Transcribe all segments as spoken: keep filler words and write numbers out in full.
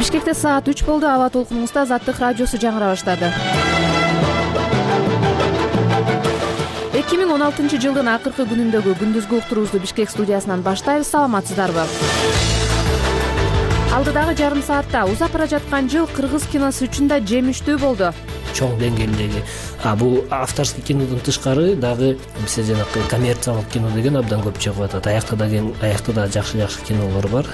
Бишкекте саат үч болду. Аба толкунубузда Азаттык радиосу жаңыра баштады. эки миң он алтынчы жылдын акыркы күнүндөгү күндүзгү уктуруубузду Бишкек студиясынан баштайбыз. Саламатсыздарбы? Алдыдагы жарым саатта узап бара жаткан жыл кыргыз киносу үчүн да жемиштүү болду. Чоң деңгээлдеги. А бул авторский кинодон тышкары дагы бизде жанакы коммерциялык кино деген абдан көп чыгып атат. Аякта деген аякта да жакшы-жакшы кинолор бар.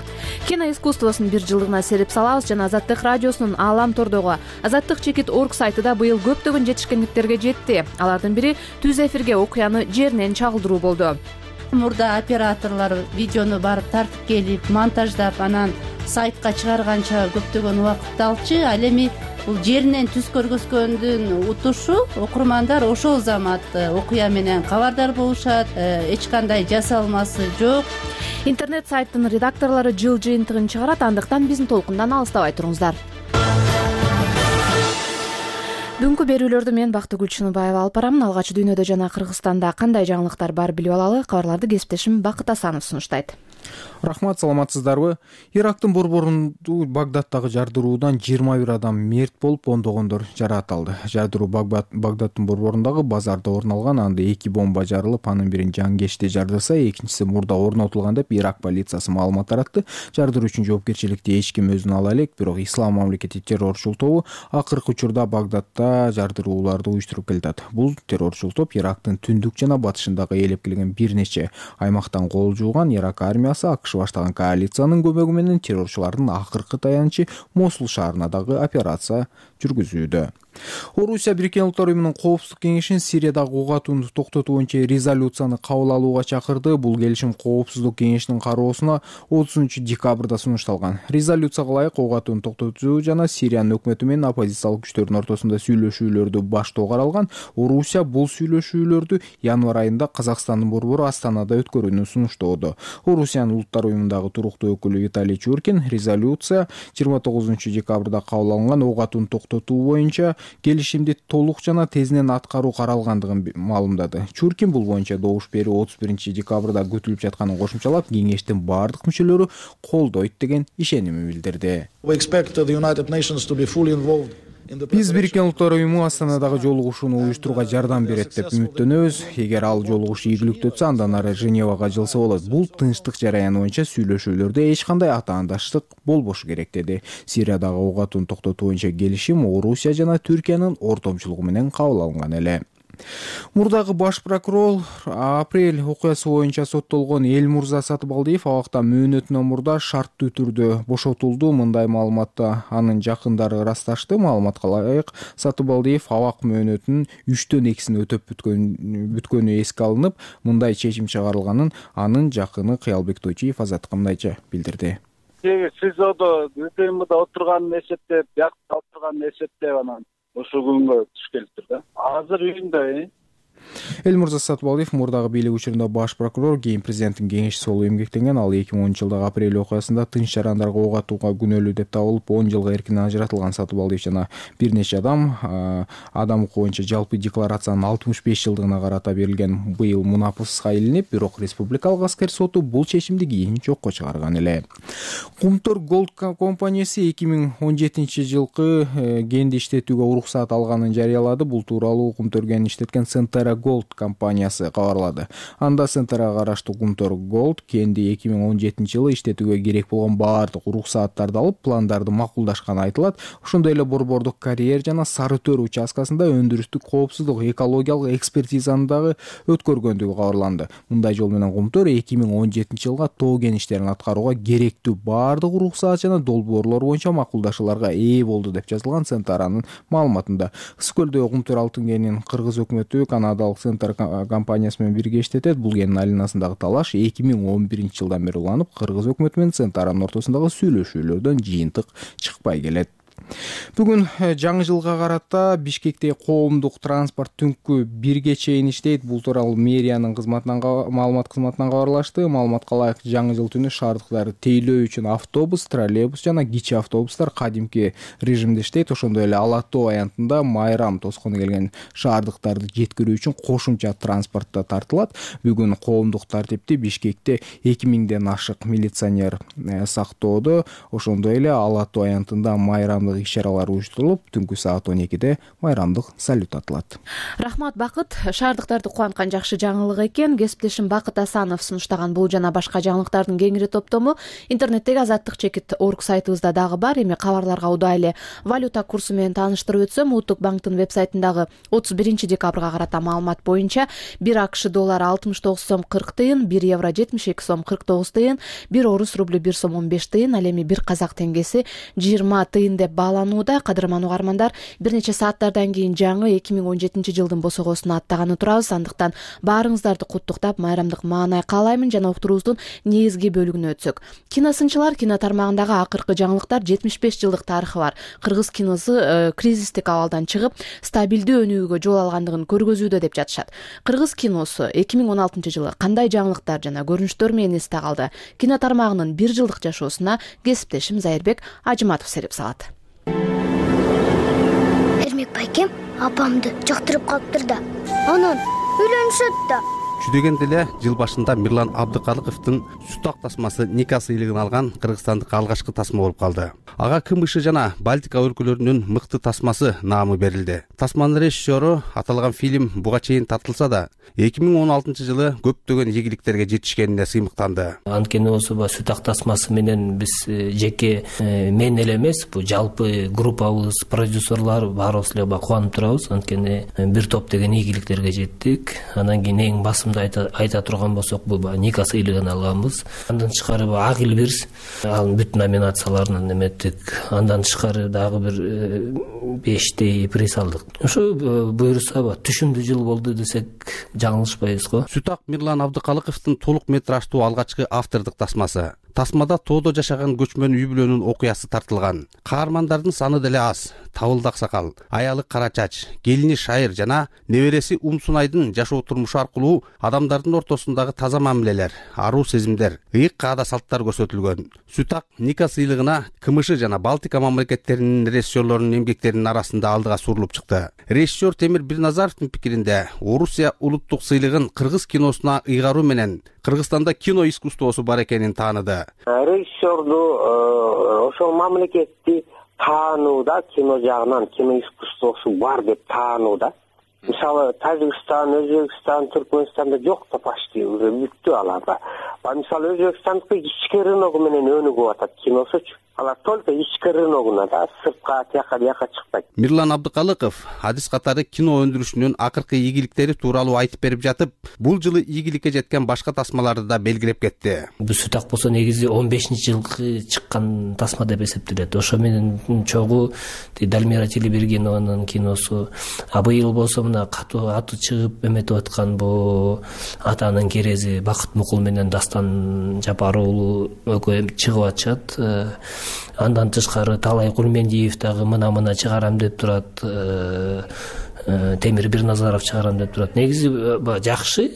Кино искусствосунун бир жылдыгына сереп салабыз жана Азаттык радиосунун Аалам тордогу азаттык чекит точка орг сайтыда быйыл көптөгөн жетишкендиктерге жетти. Алардын бири түз эфирге окуяны жеринен чагылдыруу болду. Мурда операторлор видеону барып тартып келип, монтаждап, анан сайтка чыгарганча көптөгөн убакытты алчу. Ал эми бул жеринен түз көргөзгөндүн утушу окурмандар ошол замат окуя менен кабардар болушат, эч кандай жасалмасы жок. Интернет сайттын редакторлору жыл жыйынтыгын чыгарат, андыктан биздин толкундан алыстабай туруңуздар. Бүгүнкү берүүлөрдү мен Бактыгүл Чыныбаева алып барамын. Алгач дүйнөдө жана Кыргызстанда кандай жаңылыктар бар билип алалы. Кабарларды кесиптешим Бакыт Асанов сунуштайт. Рахмат, саламатсыздарбы? Ирактын борборунду Багдадтагы жардыруудан жыйырма бир адам мерт болуп, ондогондор жаракат алды. Жардыруу Багдадтын борборундагы базарда орун алган. Анда эки бомба жарылып, анын бирин жангечте жардырса, экинчиси мурда орнотулган деп Ирак полициясы маалымат таратты. Жардыруу үчүн жоопкерчиликти эч ким өзүнө ала элек, бирок Ислам мамлекети террорчул тобу акыркы учурда Багдадта жардырууларды уюштуруп келатат. Бул террорчул топ Ирактын түндүк жана батышындагы ээлеп келген бир нече аймактан кол жууган. Ирак армиясы АКШ баштаган коалициянын көмөгү менен террорчулардын акыркы таянычы Мосул шаарына дагы операция жүргүзүүдө. Орусия Бириккен Улуттар уюмунун коопсуздук кеңешин Сириядагы ок атууну токтотуу боюнча резолюцияны кабыл алууга чакырды. Бул келишим коопсуздук кеңешинин кароосуна отузунчу декабрда сунушталган. Резолюцияга ылайык ок атууну токтотуу жана Сириянын өкмөтү менен оппозициялык күчтөрдүн ортосунда сүйлөшүүлөрдү баштоо каралган. Орусия бул сүйлөшүүлөрдү январь айында Казакстандын борбору Астанада өткөрүүнү сунуштоодо. Орусиянын Улуттар уюмундагы туруктуу өкүлү Виталий Чуркин резолюция жыйырма тогузунчу декабрда кабыл алынган ок атууну токтотуу боюнча келишимди толук жана тезинен аткаруу каралгандыгын маалымдады. Чуркин бул боюнча добуш берүү отуз биринчи декабрда күтүлүп жатканын кошумчалап, кеңештин бардык мүчөлөрү колдойт деген ишенимин билдирди. Биз Бириккен Улуттар уюму Астанадагы жолугушууну уюштурууга жардам берет деп үмүттөнөбүз. Эгер ал жолугушуу ийгиликтүү өтсө, андан ары Женевага жылса болот. Бул тынчтык жараяны боюнча сүйлөшүүлөрдө эч кандай атаандаштык болбошу керек, деди. Сириядагы ок атууну токтотуу боюнча келишим Орусия жана Түркиянын ортомчулугу менен кабыл алынган эле. Мурдагы баш прокурор апрель окуясы боюнча соттолгон Элмурза Сатыбалдиев абакта мөөнөтүнөн мурда шарттуу түрдө бошотулду. Мындай маалыматты анын жакындары ырасташты. Маалыматка ылайык, Сатыбалдиев абак мөөнөтүнүн үчтөн экисин өтөп бүткөнү эске алынып, мындай чечим чыгарылганын анын жакыны Кыялбек Тойчиев Азаттыкка мындайча билдирди. СИЗОдо УКМда отурганын эсептеп, биякта отурганын эсептеп анан ошол күнгө туш келиптир да. Азыр үйүндө. Элмурза Сатыбалдиев мурдагы бийлик учурунда баш прокурор, кийин президенттин кеңешчиси болуп эмгектенген. Ал эки миң онунчу жылдагы апрель окуясында тынч жарандарга ок атууга күнөөлүү деп табылып, он жылга эркинен ажыратылган. Сатыбалдиев жана бир нече адам адам укугу боюнча жалпы декларациянын алтымыш беш жылдыгына карата берилген быйыл мунапыска илинип, бирок Республикалык аскер соту бул чечимди кийин жокко чыгарган эле. Кумтөр Голд компаниясы эки миң он жетинчи жылкы кенди иштетүүгө уруксаат алганын жарыялады. Бул тууралуу Кумтөр кен иштеткен Центера Голд компаниясы кабарлады. Анда Центерга караштуу Кумтөр Голд кенди эки миң он жетинчи жылы иштетүүгө керек болгон баардык уруксааттарды алып, пландарды макулдашканы айтылат. Ошондой эле борбордук карьер жана Сары Төр участкасында өндүрүстүк коопсуздук, экологиялык экспертизаны дагы өткөргөндүгү кабарланды. Мындай жол менен Кумтөр эки миң он жетинчи жылга тоо кен иштерин аткарууга керектүү баардык уруксаат жана долбоорлор боюнча макулдашууларга ээ болду деп жазылган Центеранын маалыматында. Ысыкөлдөгү Кумтөр алтын кенин кыргыз өкмөтү Канадалык Центр компаниясы менен бирге иштетет. Бул кендин айланасындагы талаш эки миң он биринчи жылдан бери уланып, кыргыз өкмөтү менен Центеранын ортосундагы сүйлөшүүлөрдөн жыйынтык чыкпай келет. Бүгүн жаңы жылга карата Бишкекте коомдук транспорт түнкү бирге чейин иштейт. Бул тууралуу мэриянын кызматынан маалымат кызматынан кабарлашты. Маалыматка ылайык жаңы жыл түнү шаардыктарды тейлөө үчүн автобус, троллейбус жана кичи автобустар кадимки режимде иштейт. Ошондой эле ала тоо аянтында майрам тоскону келген шаардыктарды жеткирүү үчүн кошумча транспорт да тартылат. Бүгүн коомдук тартипти Бишкекте эки миңден ашык милиционер сактоодо. Ошондой эле ала тоо аянтында майрамдык иш-чаралар уюштурулуп, түнкү саат он экиде майрамдык салют атылат. Рахмат, Бакыт. Шаардыктарды кубанткан жакшы жаңылык экен. Кесиптешим Бакыт Асанов сунуштаган бул жана башка жаңылыктардын кеңири топтому интернеттеги азаттык чекит орг сайтыбызда дагы бар. Эми кабарларга удай эле валюта курсу менен тааныштырып өтсөм, Улуттук банктын вебсайтындагы отуз биринчи декабрга карата маалымат боюнча бир АКШ доллары алтымыш тогуз сом кырк тыйын, бир евро жетимиш эки сом кырк тогуз тыйын, бир орус рублю бир сом он беш тыйын, ал эми бир казак теңгеси жыйырма тыйын деп бааланууда. Кадырман угармандар, бир нече сааттардан кийин жаңы эки миң он жетинчи жылдын босогосуна аттаганы турабыз. Андыктан баарыңыздарды куттуктап, майрамдык маанай каалаймын жана уктуруубуздун негизги бөлүгүнө өтсөк. Киносынчылар кино тармагындагы акыркы жаңылыктар жетимиш беш жылдык тарыхы бар кыргыз киносу э, кризистик абалдан чыгып, стабилдүү өнүгүүгө жол алгандыгын көргөзүүдө деп жатышат. Кыргыз киносу эки миң он алтынчы жылы кандай жаңылыктар жана көрүнүштөр менен эсте калды? Кино тармагынын бир жылдык жашоосуна кесиптешим Зайырбек Ажыматов сереп салат. Эрмек байкем апамды жактырып калыптыр да, анан үйлөнүшөт да. Жүдөгенде эле жыл башында Мирлан Абдыкалыковдун Сутак тасмасы Ника сыйлыгын алган кыргызстандык алгачкы тасма болуп калды. Ага КМШ жана Балтика өлкөлөрүнүн мыкты тасмасы наамы берилди. Тасманын режиссеру аталган фильм буга чейин тартылса да, эки миң он алтынчы жылы көптөгөн ийгиликтерге жетишкенине сыймыктанды. Анткени болсо Сутак тасмасы менен биз жеке мен эле эмес, бул жалпы группабыз, продюсерлар баарыбыз эле кубанып турабыз. Анткени бир топ деген ийгиликтерге жеттик. Анан кийин эң басым айта, айта турган болсок, бул Ника сыйлыгын алганбыз. Андан тышкары Агил Бирс ал бүт номинацияларынан эметтик. Андан тышкары дагы бир бештей приз алдык. Ошо буюрса түшүмдүү жыл болду десек жаңылышпайбыз го. Сутак Мирлан Абдыкалыковдун толук метраждуу алгачкы автордук тасмасы. Тасмада тоодо жашаган көчмөн үй бүлөнүн окуясы тартылган. Каармандардын саны деле аз. Табылды аксакал, аялы Кара Чач, келини Шайыр жана небереси Умсунайдын жашоо турмушу аркылуу адамдардын ортосундагы таза мамилелер, аруу сезимдер, ыйык каада салттар көрсөтүлгөн. Сутак Ника сыйлыгына КМШ жана Балтика мамлекеттеринин режиссерлорунун эмгектеринин арасында алдыга сурулуп чыкты. Режиссер Темир Бирназаровдун пикиринде, Орусия улуттук сыйлыгын кыргыз киносуна ыйгаруу менен Кыргызстанда кино искусствосу бар экенин тааныды. Режиссерду ошол мамлекетти таанууда, кино жагынан кино искусствосу бар деп таанууда. Мисалы Тажикстан, Өзбекстан, Түркмөнстанда жок да почти уже бүттү аларда. Мисалы Өзбекстандыкы ички рыногу менен өнүгүп атат киносучу. Алар только ички рыногуна да, сыртка, тияка бияка чыкпайт. Мирлан Абдыкалыков адис катары кино өндүрүшүнүн акыркы ийгиликтери тууралуу айтып берип жатып, бул жылы ийгиликке жеткен башка тасмаларды да белгилеп кетти. Бул Сутак болсо негизи он бешинчи жылкы чыккан тасма деп эсептелет. Ошо менен чогуу Дальмира Телебергенованын киносу, а быйыл болсо мына катуу аты чыгып эметип аткан бул Атанын керези Бакыт Мукул менен Дастан Жапар уулу экөө чыгып атышат. Андан тышкары Талай Кулмендиев дагы мына-мына чыгарам деп турат. Темир Бирназаров чыгарам деп турат. Негизи жакшы,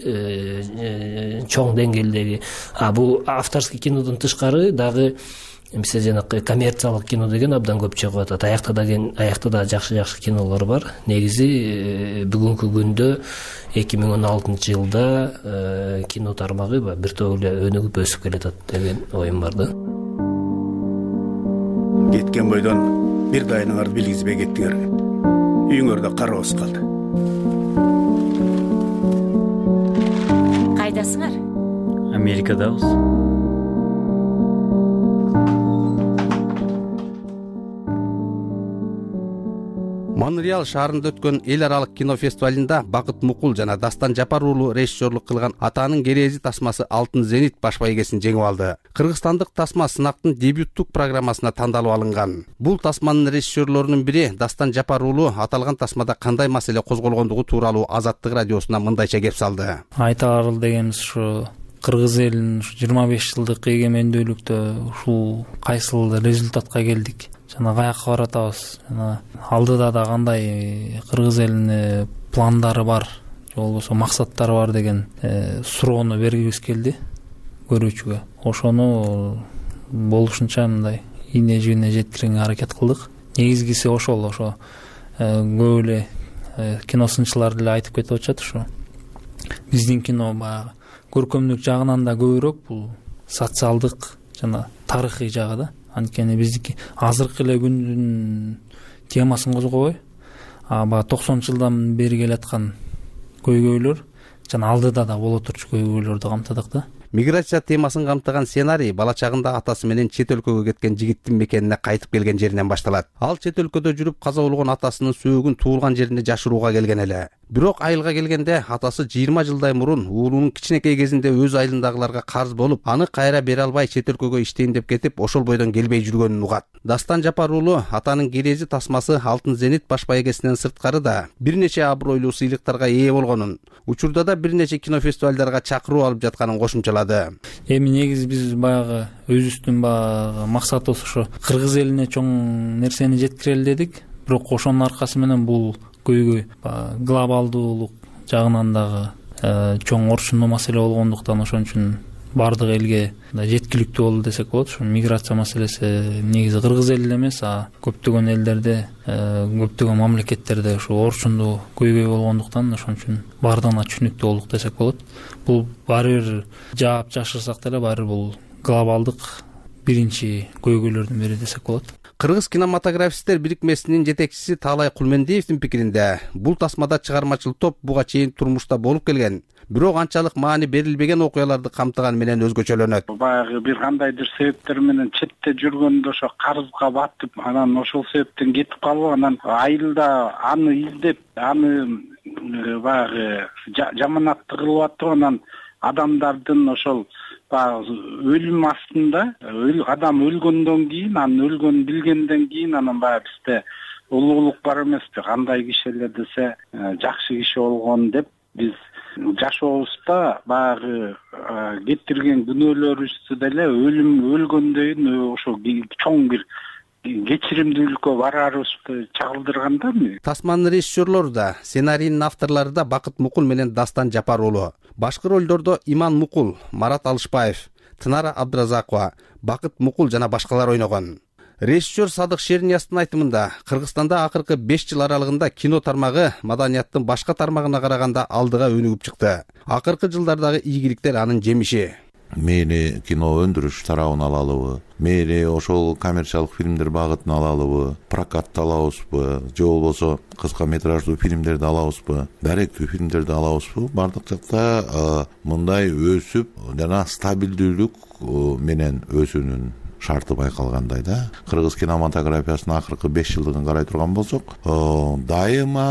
чоң деңгээлдеги. А бул авторский кинодон тышкары дагы эмсе жанакы коммерциялык кино деген абдан көп чыгып атат. Аякта деген аякта да жакшы-жакшы кинолор бар. Негизи бүгүнкү күндө эки миң он алтынчы жылда кино тармагы бир топ эле өнүгүп өсүп келатат деген оюм бар да. Кеткен бойдон бир дайыныңарды билгизбей кеттиңер. Үйүңөрдө карабыз калды. Кайдасыңар? Америкадабыз. Монреаль шаарында өткөн эл аралык кино фестивалында Бакыт Мукул жана Дастан Жапар уулу режиссерлук кылган Атанын керези тасмасы Алтын Зенит баш байгесин жеңип алды. Кыргызстандык тасма сынактын дебюттук программасына тандалып алынган. Бул тасманын режиссерлорунун бири Дастан Жапар уулу аталган тасмада кандай маселе козголгондугу тууралуу Азаттык радиосуна мындайча кеп салды. Айтаар дегенибиз ушу кыргыз элинин жыйырма беш жылдык эгемендүүлүктө ушул кайсыл результатка келдик. жана каяка баратабыз, жана алдыда да кандай кыргыз элине пландары бар же болбосо максаттары бар деген суроону бергибиз келди көрүүчүгө. Ошону болушунча мындай ийне жибине жеткирүүгө аракет кылдык. Негизгиси ошол, ошо көп эле кино сынчылар деле айтып кетип атышат, ушу биздин кино баягы көркөмдүк жагынан да көбүрөөк бул социалдык жана тарыхый жагы да. Анткени биздики азыркы эле күндүн темасын козгобой, а баягы токсонунчу жылдан бери келаткан көйгөйлөр жана алдыда да боло турчу көйгөйлөрдү камтыдык да. Миграция темасын камтыган сценарий бала чагында атасы менен чет өлкөгө кеткен жигиттин мекенине кайтып келген жеринен башталат. Ал чет өлкөдө жүрүп каза болгон атасынын сөөгүн туулган жерине жашырууга келген эле. Бирок айылга келгенде атасы жыйырма жылдай мурун уулунун кичинекей кезинде өз айылындагыларга карыз болуп, аны кайра бере албай чет өлкөгө иштейин деп кетип, ошол бойдон келбей жүргөнүн угат. Дастан Жапар уулу атанын Керези тасмасы Алтын Зенит баш байгесинен сырткары да бир нече абройлуу сыйлыктарга ээ болгонун, учурда да бир нече кино фестивалдарга чакыруу алып жатканын кошумчалады. Эми негизи биз баягы өзүбүздүн баягы максатыбыз ошо кыргыз элине чоң нерсени жеткирели дедик. Бирок ошонун аркасы менен бул көйгөй глобалдуулук жагынан дагы чоң орчундуу маселе болгондуктан ошон үчүн бардык элге жеткиликтүү болду десек болот. Ошо миграция маселеси негизи кыргыз элде эмес, а көптөгөн элдерде, көптөгөн мамлекеттерде ошо орчундуу көйгөй болгондуктан ошон үчүн бардыгына түшүнүктүү болдук десек болот. Бул баары бир жаап жашырсак деле баары бул глобалдык биринчи көйгөйлөрдүн бири десек болот. Кыргыз кинематографисттер бирикмесинин жетекчиси Таалай Кулмендиевдин пикиринде, бул тасмада чыгармачыл топ буга чейин турмушта болуп келген, бирок анчалык маани берилбеген окуяларды камтыган менен өзгөчөлөнөт. Баягы бир кандайдыр себептер менен четте жүргөндө ошо карызга батып, анан ошол себептен кетип калып, анан айылда аны издеп, аны баягы жаманатты кылып атып, анан адамдардын ошол өлүм астында, адам өлгөндөн кийин, анын өлгөнүн билгенден кийин анан баягы бизде улуулук бар эмеспи, кандай киши эле десе жакшы киши болгон деп биз жашообузда баягы кетирген күнөөлөрүбүздү деле өлүм өлгөндөн ошо чоң бир кечиримдүүлүккө бараарыбызды чагылдырганда. Тасманын режиссерлору да, сценарийдин авторлору да Бакыт Мукул менен Дастан Жапар уулу. Башкы ролдордо Иман Мукул, Марат Алышбаев, Тынара Абдыразакова, Бакыт Мукул жана башкалар ойногон. Режиссер Садык Шерниястын айтымында, Кыргызстанда акыркы беш жыл аралыгында кино тармагы маданияттын башка тармагына караганда алдыга өнүгүп чыкты. Акыркы жылдардагы ийгиликтер анын жемиши. Мээри кино өндүрүш тарабын алалыбы, мээри ошол коммерциялык фильмдер багытын алалыбы, прокатты алабызбы, же болбосо кыска метраждуу фильмдерди алабызбы, даректүү фильмдерди алабызбы, бардык жакта мындай өсүп жана стабилдүүлүк менен өсүүнүн шарты байкалгандай да. Кыргыз кинематографиясынын акыркы беш жылдыгын карай турган болсок, дайыма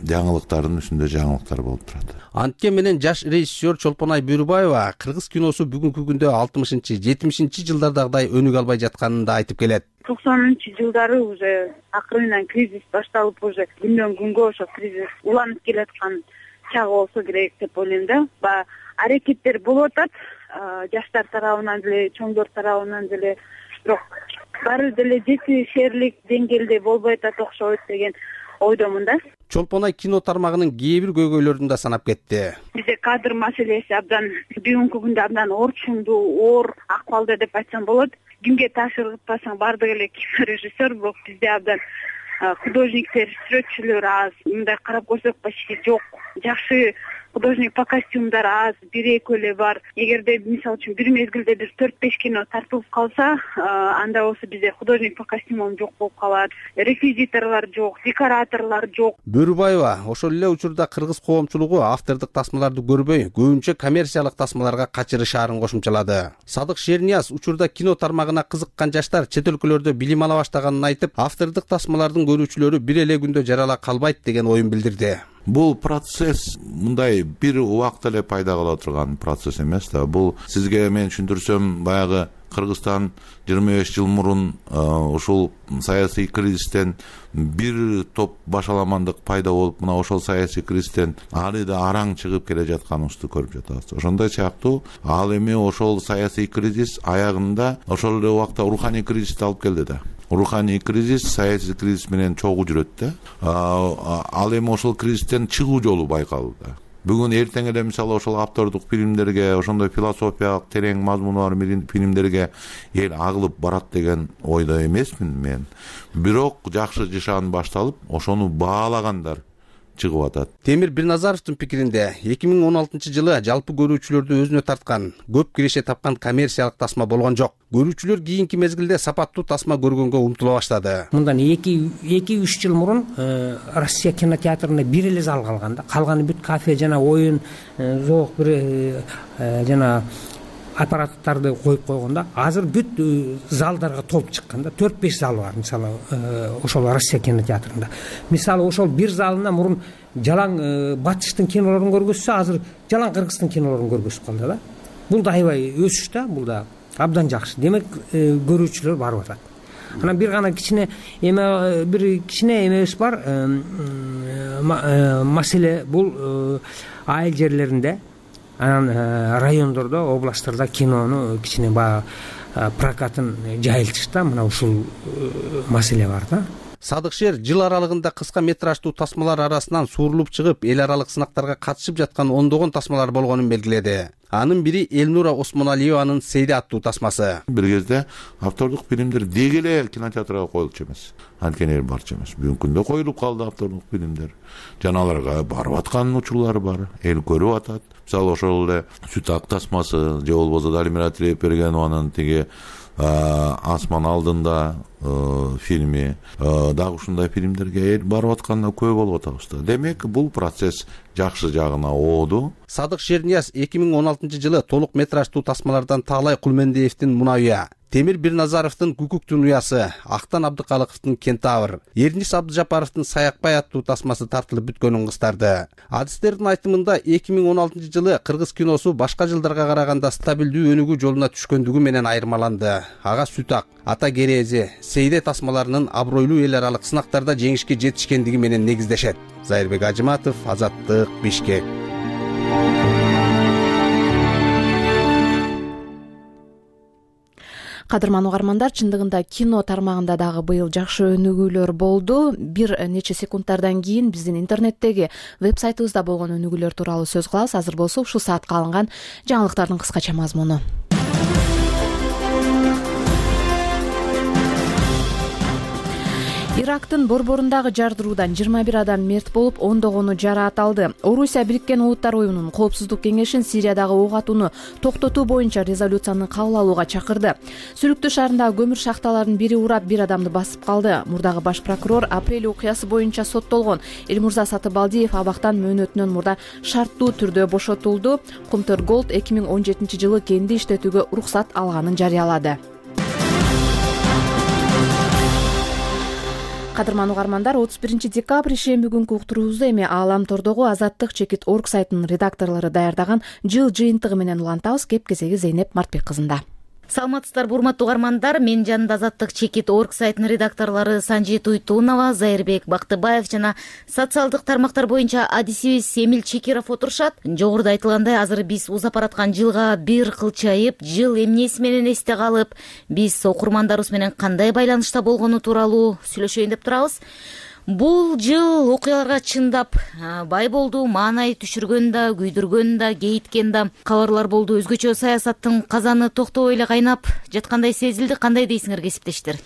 жаңылыктардын үстүндө жаңылыктар болуп турат. Антке менен жаш режиссер Чолпонай Бөрүбаева кыргыз киносу бүгүнкү күндө алтымышынчы жетимишинчи жылдардагыдай өнүгө албай жатканын да айтып келет. токсонунчу жылдары уже акырынан кризис башталып, уже күндөн күнгө ошо кризис уланып келаткан чагы болсо керек деп ойлойм да. Ба аракеттер болуп атат, жаштар тарабынан деле, чоңдор тарабынан деле, бирок баары деле жетишерлик деңгээлде болбой атат окшойт деген ойдомун да. Чолпонай кино тармагынын кээ бир көйгөйлөрүн да санап кетти. Бизде кадр маселеси абдан бүгүнкү күндө абдан орчундуу, оор акыбалда деп айтсам болот. Кимге таасир кылбасаң бардык эле кинорежиссер, бирок бизде абдан художниктер, сүрөтчүлөр аз. Мындай карап көрсөк почти жок. Жакшы художник по костюмдар аз, бир экөө эле бар. Эгерде мисалы үчүн бир мезгилде бир төрт беш кино тартылып калса, анда болсо бизде художник по костюмам жок болуп калат. Реквизиторлор жок, декораторлор жок. Бөрүбаева ошол эле учурда кыргыз коомчулугу автордук тасмаларды көрбөй, көбүнчө коммерциялык тасмаларга качырышаарын кошумчалады. Садык Шернияз учурда кино тармагына кызыккан жаштар чет өлкөлөрдө билим ала баштаганын айтып, автордук тасмалардын көрүүчүлөрү бир эле күндө жарала калбайт деген оюн билдирди. Бул процесс мындай бир убакта эле пайда кыла турган процесс эмес да. Бул сизге мен түшүндүрсөм, баягы Кыргызстан жыйырма беш жыл мурун ушул саясий кризистен бир топ башаламандык пайда болуп, мына ошол саясий кризистен али да араң чыгып келе жатканыбызды көрүп жатабыз. Ошондой сыяктуу ал эми ошол саясий кризис аягында ошол эле убакта руханий кризисти алып келди да. руханий кризис саясий кризис менен чогуу жүрөт да. Ал эми ошол кризистен чыгуу жолу байкалууда. Бүгүн эртең эле мисалы ошол автордук фильмдерге, ошондой философиялык терең мазмуну бар фильмдерге эл агылып барат деген ойдо эмесмин мен. Бирок жакшы жашаан башталып, ошону баалагандар чыгып атат. Темир Бирназаровдун пикиринде эки миң он алтынчы жылы жалпы көрүүчүлөрдү өзүнө тарткан, көп киреше тапкан коммерциялык тасма болгон жок. Көрүүчүлөр кийинки мезгилде сапаттуу тасма көргөнгө умтула баштады. Мындан эки үч жыл мурун Россия кинотеатрында бир эле зал калган да. Калганы бүт кафе жана оюн, зоок бир жана аппараттарды коюп койгондо азыр бүт залдарга толуп чыккан да. төрт беш зал бар мисалы ошол Россия кинотеатрында. Мисалы ошол бир залына мурун жалаң батыштын кинолорун көргөзсө, азыр жалаң кыргыздын кинолорун көргөзүп калды да. Бул да аябай өсүш да, бул да абдан жакшы. Демек көрүүчүлөр барып атат. Анан бир гана кичине эме бир кичине эмебиз бар. Маселе бул айыл жерлеринде, анан райондордо, областтарда кинону кичине баягы прокатын жайылтыш да, мына ушул маселе бар да. Садыкшер жыл аралыгында кыска метраждуу тасмалар арасынан суурулуп чыгып, эл аралык сынактарга катышып жаткан ондогон тасмалар болгонун белгиледи. Анын бири Элнура Осмоналиеванын Сейде аттуу тасмасы. Бир кезде автордук фильмдер деги эле кинотеатрга коюлчу эмес. Анткени барчу эмес. Бүгүнкү күндө коюлуп калды автордук фильмдер. Жана аларга барып аткан учурлар бар. Эл көрүп атат. Мисалы ошол эле Сүт ак тасмасы же болбосо Далимира Тилепбергенованын тиги Асман алдында фильми, дагы ушундай фильмдерге эл барып атканда күбө болуп атабыз да. Демек, бул процесс жакшы жагына ооду. Садык Шернияз эки миң он алтынчы жылы толук метраждуу тасмалардан Таалай Кулмендиевдин Мунавия, Темир Бирназаровдун Күкүктүн уясы, Актан Абдыкалыковдун Кентавр, Эрнис Абдыжапаровдун Саякбай аттуу тасмасы тартылып бүткөнүн кыстарды. Адистердин айтымында эки миң он алтынчы жылы кыргыз киносу башка жылдарга караганда стабилдүү өнүгүү жолуна түшкөндүгү менен айырмаланды. Ага Сүт ак, Ата Керези, Сейде тасмаларынын абройлуу эл аралык сынактарда жеңишке жетишкендиги менен негиздешет. Зайырбек Ажыматов, Азаттык, Бишкек. Кадырман угармандар, чындыгында кино тармагында дагы быйыл жакшы өнүгүүлөр болду. Бир нече секундтардан кийин биздин интернеттеги веб-сайтыбызда болгон өнүгүүлөр тууралуу сөз кылабыз. Азыр болсо ушул саатка алынган жаңылыктардын кыскача мазмуну. Ирактын борборундагы жардыруудан жыйырма бир адам мерт болуп, ондогону жараат алды. Орусия Бириккен Улуттар уюмунун Коопсуздук кеңешин Сириядагы ок атууну токтотуу боюнча резолюцияны кабыл алууга чакырды. Сүрүктүү шаарындагы көмүр шахталарынын бири урап, бир адамды басып калды. Мурдагы баш прокурор апрель окуясы боюнча соттолгон Элмурза Сатыбалдиев абактан мөөнөтүнөн мурда шарттуу түрдө бошотулду. Кумтөр Голд эки миң он жетинчи жылы кенди иштетүүгө уруксат алганын жарыялады. Кадырман угармандар, отуз биринчи декабрь ишемби күнкү уктуруубузду эми Аалам тордогу азаттык чекит орг сайтынын редакторлору даярдаган жыл жыйынтыгы менен улантабыз. Кеп кезеги Зейнеп Мартбек кызында. Саламатсыздарбы, урматтуу угармандар. Мен жанында азаттык чекит орг сайтынын редакторлору Санжи Туйтунова, Зайырбек Бактыбаев жана социалдык тармактар боюнча адисибиз Эмил Чекиров отурушат. Жогоруда айтылгандай, азыр биз узап бараткан жылга бир кылчайып, жыл эмнеси менен эсте калып, биз окурмандарыбыз менен кандай байланышта болгону тууралуу сүйлөшөйүн деп турабыз. Бул жыл окуяларга чындап бай болду, маанай түшүргөн да, күйдүргөн да, кейиткен да кабарлар болду. Өзгөчө саясаттын казаны токтобой эле кайнап жаткандай сезилди. Кандай дейсиңер, кесиптештер?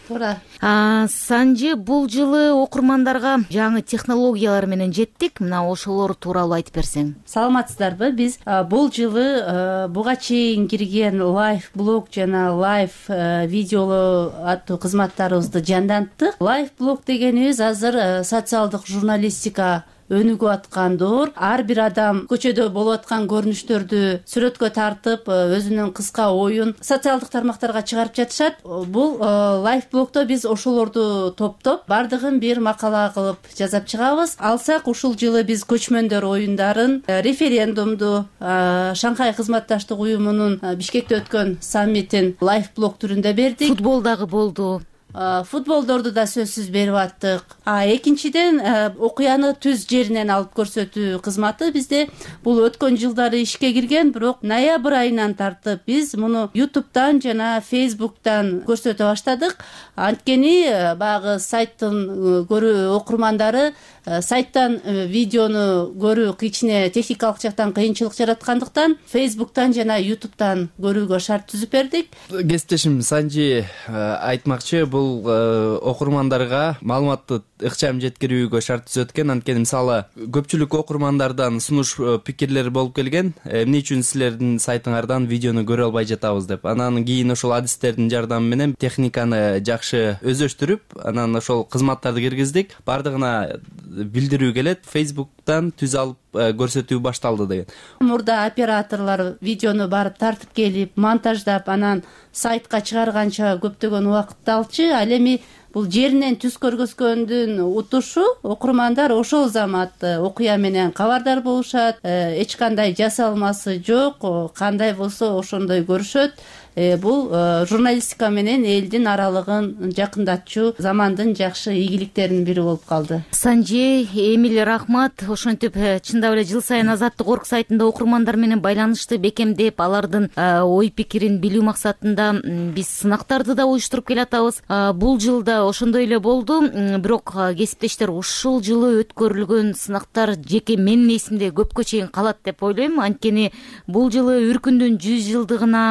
Туура. Санжи, бул жылы окурмандарга жаңы технологиялар менен жеттик. Мына ошолор тууралуу айтып берсең. Саламатсыздарбы? Биз бул жылы буга чейин кирген лайв блог жана лайв видеолу аттуу кызматтарыбызды жанданттык. Лайв блог дегенибиз азыр социалдык журналистика өнүгүп аткандыр. Ар бир адам көчөдө болуп аткан көрүнүштөрдү сүрөткө тартып, өзүнүн кыска оюн социалдык тармактарга чыгарып жатышат. Бул лайв блогдо биз ошолорду топтоп, бардыгын бир макала кылып жазап чыгабыз. Алсак, ушул жылы биз көчмөндөр оюндарын, референдумду, Шанхай кызматташтык уюмунун Бишкекте өткөн саммитин лайв блог түрүндө бердик. Футбол дагы болду. футболдорду да сөзсүз берип аттык. А экинчиден окуяны түз жеринен алып көрсөтүү кызматы бизде бул өткөн жылдары ишке кирген, бирок ноябрь айынан тартып биз муну ютубтан жана фейсбуктан көрсөтө баштадык. Анткени баягы сайттын көрүү окурмандары сайттан видеону көрүү кичине техникалык жактан кыйынчылык жараткандыктан фейсбуктан жана ютубтан көрүүгө шарт түзүп бердик. Кесиптешим Санжи айтмакчы, бул окурмандарга маалыматты ыкчам жеткирүүгө шарт түзөт экен. Анткени мисалы көпчүлүк окурмандардан сунуш пикирлер болуп келген, эмне үчүн силердин сайтыңардан видеону көрө албай жатабыз деп. Анан кийин ошол адистердин жардамы менен техниканы жакшы өздөштүрүп, анан ошол кызматтарды киргиздик. Бардыгына билдирүү келет, фейсбуктан түз алып көрсөтүү башталды деген. Мурда операторлор видеону барып тартып келип, монтаждап, анан сайтка чыгарганча көптөгөн убакытты алчу. Ал эми бул жеринен түз көргөзгөндүн утушу окурмандар ошол замат окуя менен кабардар болушат, эч кандай жасалмасы жок, кандай болсо ошондой көрүшөт. Бул журналистика менен элдин аралыгын жакындатчу замандын жакшы ийгиликтеринин бири болуп калды. Санжи, Эмиль, рахмат. Ошентип чындап эле жыл сайын Азаттык орг сайтында окурмандар менен байланышты бекемдеп, алардын ой пикирин билүү максатында биз сынактарды да уюштуруп келатабыз. Бул жылда ошондой эле болду, бирок кесиптештер ушул жылы өткөрүлгөн сынактар жеке менин эсимде көпкө чейин калат деп ойлойм. Анткени бул жылы Үркүндүн жүз жылдыгына,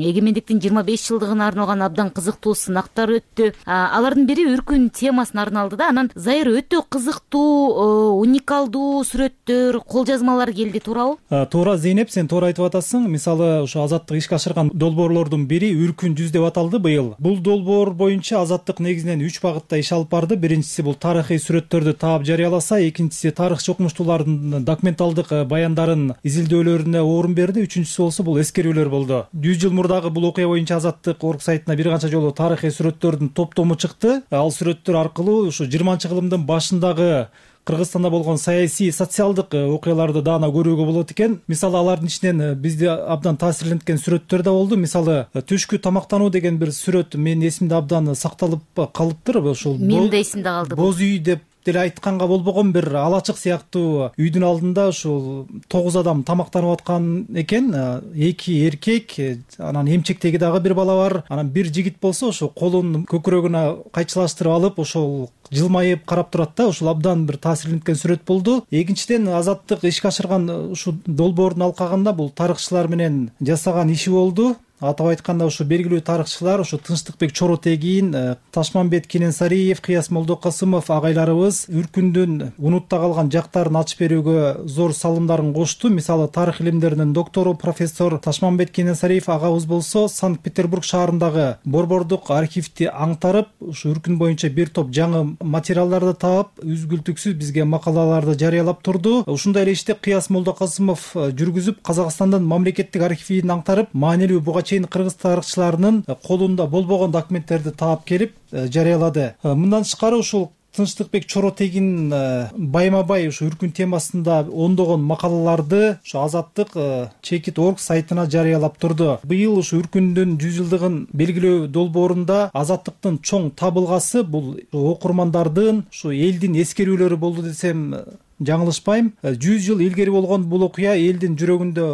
эгемендиктин жыйырма беш жылдыгына арналган абдан кызыктуу сынактар өттү. Алардын бири Үркүн темасына арналды да. Анан Зайыр, өтө кызыктуу, уникалдуу сүрөттөр, кол жазмалар келди, туурабы? Туура, Зейнеп, сен туура айтып атасың. Мисалы, ошо Азаттык ишке ашырган долбоорлордун бири Үркүн жүз деп аталды быйыл. Бул долбоор боюнча Азаттык негизинен үч багытта иш алып барды. Биринчиси бул тарыхый сүрөттөрдү таап жарыяласа, экинчиси тарыхчы окумуштуулардын документалдык баяндарын изилдөөлөрүнө орун берди, үчүнчүсү болсо бул эскерүүлөр болду. жүз жыл мурдагы бул окуя боюнча Азаттык орг сайтына бир канча жолу тарыхый сүрөттөрдүн топтому чыкты. Ал сүрөттөр аркылуу ушу жыйырманчы кылымдын башындагы Кыргызстанда болгон саясий, социалдык окуяларды даана көрүүгө болот экен. Мисалы, алардын ичинен бизди абдан таасирленткен сүрөттөр да болду. Мисалы, түшкү тамактануу деген бир сүрөт менин эсимде абдан сакталып калыптыр. Ошол менин да эсимде калды. Боз үй деп деле айтканга болбогон бир алачык сыяктуу үйдүн алдында ушул тогуз адам тамактанып аткан экен. Эки эркек, анан эмчектеги дагы бир бала бар. Анан бир жигит болсо ошо колун көкүрөгүнө кайчылаштырып алып, ошол жылмайып карап турат да. Ушул абдан бир таасирленткен сүрөт болду. Экинчиден, Азаттык ишке ашырган ушул долбоордун алкагында бул тарыхчылар менен жасаган иши болду. Атап айтканда, ушу белгилүү тарыхчылар, ушу Тынчтыкбек Чоротегин, Ташмамбет Кененсариев, Кыяс Молдокасымов агайларыбыз Үркүндүн унутта калган жактарын ачып берүүгө зор салымдарын кошту. Мисалы, тарых илимдеринин доктору профессор Ташмамбет Кененсариев агабыз болсо, Санкт-Петербург шаарындагы борбордук архивди аңтарып, ушу Үркүн боюнча бир топ жаңы материалдарды таап, үзгүлтүксүз бизге макалаларды жарыялап турду. Ушундай эле ишти Кыяс Молдокасымов жүргүзүп, Казакстандын мамлекеттик архивин аңтарып, маанилүү буга чейин кыргыз тарыхчыларынын колунда болбогон документтерди таап келип жарыялады. Мындан тышкары, ушул Тынчтыкбек Чоротегин байма-бай ушу Үркүн темасында ондогон макалаларды ушу Азаттык чекит орг сайтына жарыялап турду. Быйыл ушу Үркүндүн жүз жылдыгын белгилөө долбоорунда Азаттыктын чоң табылгасы бул окурмандардын, ушу элдин эскерүүлөрү болду десем жаңылышпайм. жүз жыл илгери болгон бул окуя элдин жүрөгүндө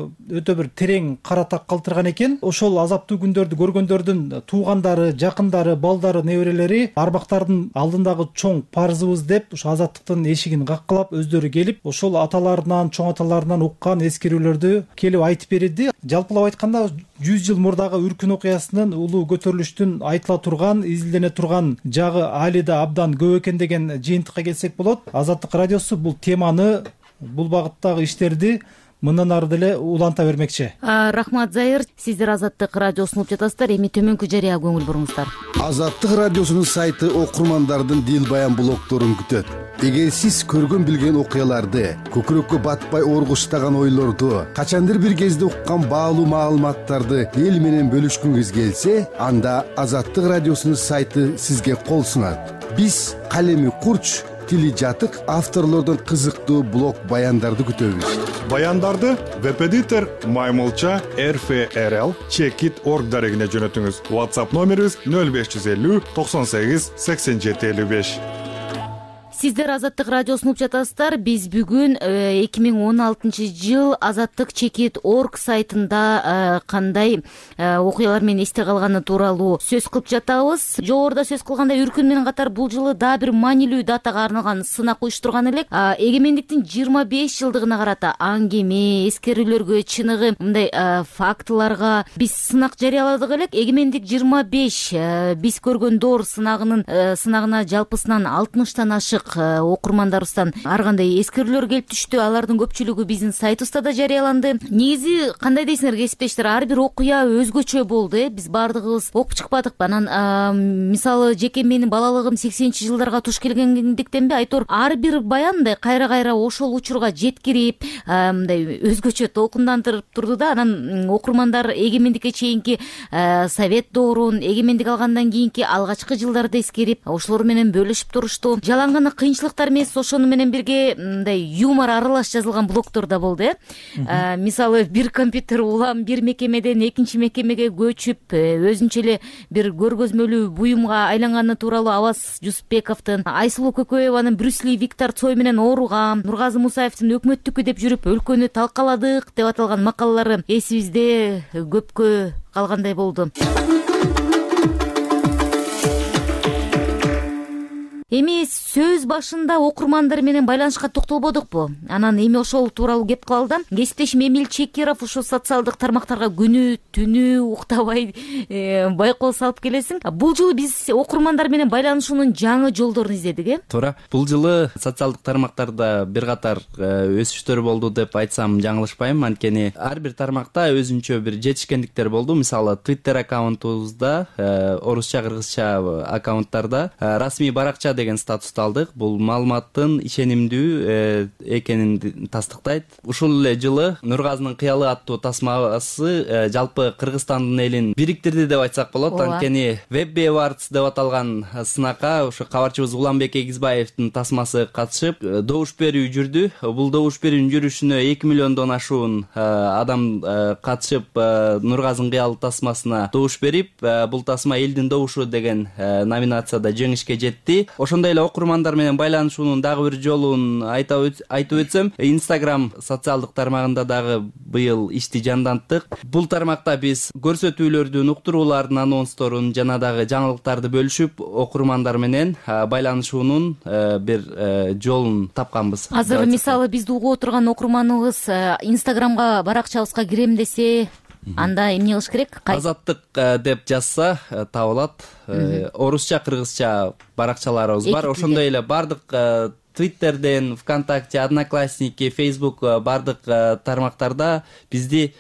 өтө бир терең кара так калтырган экен. Ошол азаптуу күндөрдү көргөндөрдүн туугандары, жакындары, балдары, неберелери арбактардын алдындагы чоң парзыбыз деп ушу Азаттыктын эшигин каккылап, өздөрү келип, ошол аталарынан, чоң аталарынан уккан эскерүүлөрдү келип айтып берди. Жалпылап айтканда, жүз жыл мурдагы Үркүн окуясынын улуу көтөрүлүштүн айтыла турган, изилдене турган жагы али да абдан көп экен деген жыйынтыкка келсек болот. Азаттык радиосу бул теманы, бул багыттагы иштерди мындан ары деле уланта бермекчи. Рахмат, Зайыр. Сиздер Азаттык радиосун угуп жатасыздар. Эми төмөнкү жарыя көңүл буруңуздар. Азаттык радиосунун сайты окурмандардын дил баян блогдорун күтөт. Эгер сиз көргөн билген окуяларды, көкүрөккө батпай оргуштаган ойлорду, качандыр бир кезде уккан баалуу маалыматтарды эл менен бөлүшкүңүз келсе, анда Азаттык радиосунун сайты сизге кол сунат. Биз калеми курч, тили жатык авторлордон кызыктуу блог баяндарды күтөбүз. Баяндарды веб-эдитор маймылча эр эф эр эл чекит орг дарегине жөнөтүңүз. WhatsApp номерибиз нөл беш жүз элүү токсон сегиз сексен жети элүү беш. Сиздер Азаттык радиосун угуп жатасыздар. Биз бүгүн эки миң он алтынчы жыл азаттык чекит орг сайтында кандай окуялар менен эсте калганы тууралуу сөз кылып жатабыз. Жогоруда сөз кылгандай үркүн менен катар бул жылы дагы бир маанилүү датага арналган сынак уюштурган элек. Эгемендиктин жыйырма беш жылдыгына карата аңгеме, эскерүүлөргө, чыныгы мындай фактыларга биз сынак жарыяладык элек. Эгемендик жыйырма беш биз көргөн доор сынагынын сынагына жалпысынан алтымыштан ашык окурмандарыбыздан ар кандай эскерүүлөр келип түштү. Алардын көпчүлүгү биздин сайтыбызда да жарыяланды. Негизи кандай дейсиңер кесиптештер, ар бир окуя өзгөчө болду. э Биз баардыгыбыз окуп чыкпадыкпы. Анан мисалы жеке менин балалыгым сексенинчи жылдарга туш келгендиктенби айтор ар бир баян мындай кайра кайра ошол учурга жеткирип мындай өзгөчө толкундандырып турду да. Анан окурмандар эгемендикке чейинки совет доорун, эгемендик алгандан кийинки алгачкы жылдарды эскерип ошолор менен бөлүшүп турушту. Жалаң кыйынчылыктар эмес, ошону менен бирге мындай юмор аралаш жазылган блогдор да болду. э Мисалы бир компьютер улам бир мекемеден экинчи мекемеге көчүп өзүнчө эле бир көргөзмөлүү буюмга айланганы тууралуу Абас Жусупбековдун, Айсулуу Көкөеванын Брюс Ли Виктор Цой менен ооругам, Нургазы Мусаевдин өкмөттүкү деп жүрүп өлкөнү талкаладык деп аталган макалалары эсибизде көпкө калгандай болду. Эми сөз башында окурмандар менен байланышка токтолбодукпу? Анан эми ошол тууралуу кеп калалы да. Кесиптешим Эмиль Чекиров ушул социалдык тармактарга күнү түнү уктабай байкоо салып келесиң. Бул жолу биз окурмандар менен байланышуунун жаңы жолдорун издедик, э? Туура. Бул жылы социалдык тармактарда бир катар өсүштөр болду деп айтсам жаңылышпайм. Анткени ар бир тармакта өзүнчө бир жетишкендиктер болду. Мисалы Twitter аккаунтубузда, орусча, кыргызча аккаунттарда расмий баракча деген статусту алдык. Бул маалыматтын ишенимдүү экенин тастыктайт. Ушул эле жылы Нургазынын кыялы аттуу тасмасы жалпы Кыргызстандын элин бириктирди деп айтсак болот. Анткени Webby Awards деп аталган сынакка ошо кабарчыбыз Уланбек Эгизбаевдин тасмасы катышып, добуш берүү жүрдү. Бул добуш берүүнүн жүрүшүнө эки миллиондон ашуун адам катышып Нургазынын кыялы тасмасына добуш берип, бул тасма элдин добушу деген номинацияда жеңишке жетти. Ошондой эле окурмандар менен байланышуунун дагы бир жолун айтып өтсөм, Instagram социалдык тармагында дагы быйыл ишти жанданттык. Бул тармакта биз көрсөтүүлөрдүн, уктуруулардын анонсторун жана дагы жаңылыктарды бөлүшүп, окурмандар менен байланышуунун бир жолун тапканбыз. Азыр мисалы бизди угуп отурган окурманыбыз Instagramга баракчабызга кирем десе, анда эмне кылыш керек? Азаттык деп жазса табылат. Орусча, кыргызча баракчаларыбыз бар. Ошондой эле бардык Twitterден, ВКонтакте, Одноклассники, Facebook бардык тармактарда бизди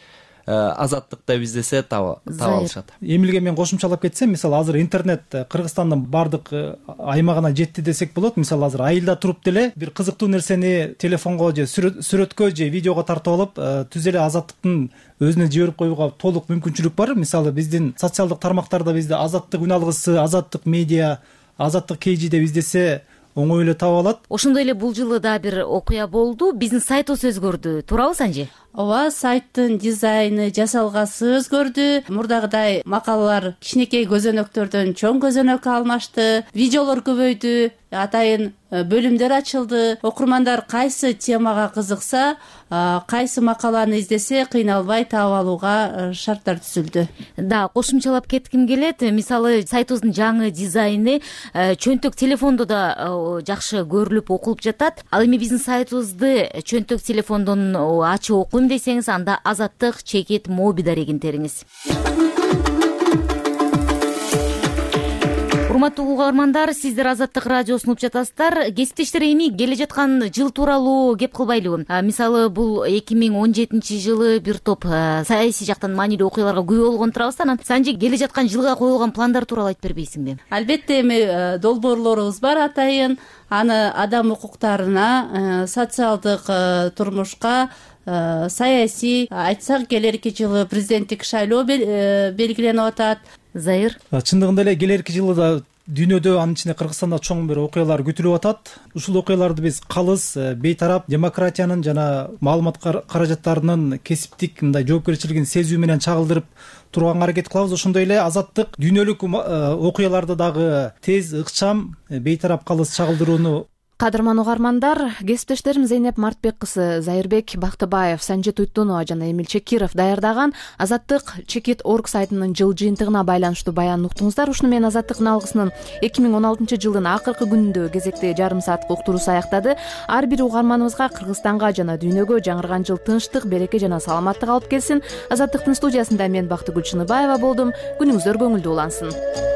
Азаттык деп издесе таба алышат. Эмилге мен кошумчалап кетсем, мисалы азыр интернет Кыргызстандын бардык аймагына жетти десек болот. Мисалы азыр айылда туруп деле бир кызыктуу нерсени телефонго же сүрөткө же видеого тартып алып, түз эле Азаттыктын өзүнө жиберип коюуга толук мүмкүнчүлүк бар. Мисалы биздин социалдык тармактарда бизде Азаттык үн алгысы, Азаттык медиа, Азаттык кейжи деп издесе оңой эле таба алат. Ошондой эле бул жылы да бир окуя болду. Биздин сайтыбыз өзгөрдү. Туурабы Санжи? Ооба, сайттын дизайны, жасалгасы өзгөрдү. Мурдагыдай макалалар кичинекей көзөнөктөрдөн чоң көзөнөккө алмашты. Видеолор көбөйдү, атайын бөлүмдөр ачылды. Окурмандар кайсы темага кызыкса, кайсы макаланы издесе кыйналбай таап алууга шарттар түзүлдү. Да, кошумчалап кетким келет. Мисалы сайтыбыздын жаңы дизайны чөнтөк телефондо да жакшы көрүлүп окулуп жатат. Ал эми биздин сайтыбызды чөнтөк телефондон ачып окуйм десеңиз, анда Азаттык чекит моби дарегин териңиз. Урматтуу угармандар, сиздер Азаттык радиосун угуп жатасыздар. Кесиптештер, эми келе жаткан жыл тууралуу кеп кылбайлыбы? Мисалы, бул эки миң он жетинчи жылы бир топ саясий жактан маанилүү окуяларга күбө болгон турабыз. Анан Санжи, келе жаткан жылга коюлган пландар тууралуу айтып бербейсиңби? Албетте, эми долбоорлорубуз бар атайын. Аны адам укуктарына, социалдык турмушка, саясий, айтсак келерки жылы президенттик шайлоо белгиленип атат. Зайыр. Чындыгында эле келерки жылы да дүйнөдө анын ичинде Кыргызстанда чоң бир окуялар күтүлүп атат. Ушул окуяларды биз калыс, бейтарап, демократиянын жана маалымат каражаттарынын кесиптик мындай жоопкерчилигин сезүү менен чагылдырып турганга аракет кылабыз. Ошондой эле Азаттык дүйнөлүк окуяларды дагы тез, ыкчам, бейтарап, калыс чагылдырууну. Кадырман угармандар, кесиптештерим Зейнеп Мартбек кызы, Зайырбек Бактыбаев, Санжит Уйтунова жана Эмил Чекиров даярдаган Азаттык чекит орг сайтынын жыл жыйынтыгына байланыштуу баянын уктуңуздар. Ушуну менен Азаттыктын алгысынын эки миң он алтынчы жылдын акыркы күнүндө кезектеги жарым сааттык уктуруусу аяктады. Ар бир угарманыбызга, Кыргызстанга жана дүйнөгө жаңырган жыл тынчтык, береке жана саламаттык алып келсин. Азаттыктын студиясында мен Бактыгүл Чыныбаева болдум. Күнүңүздөр көңүлдүү улансын.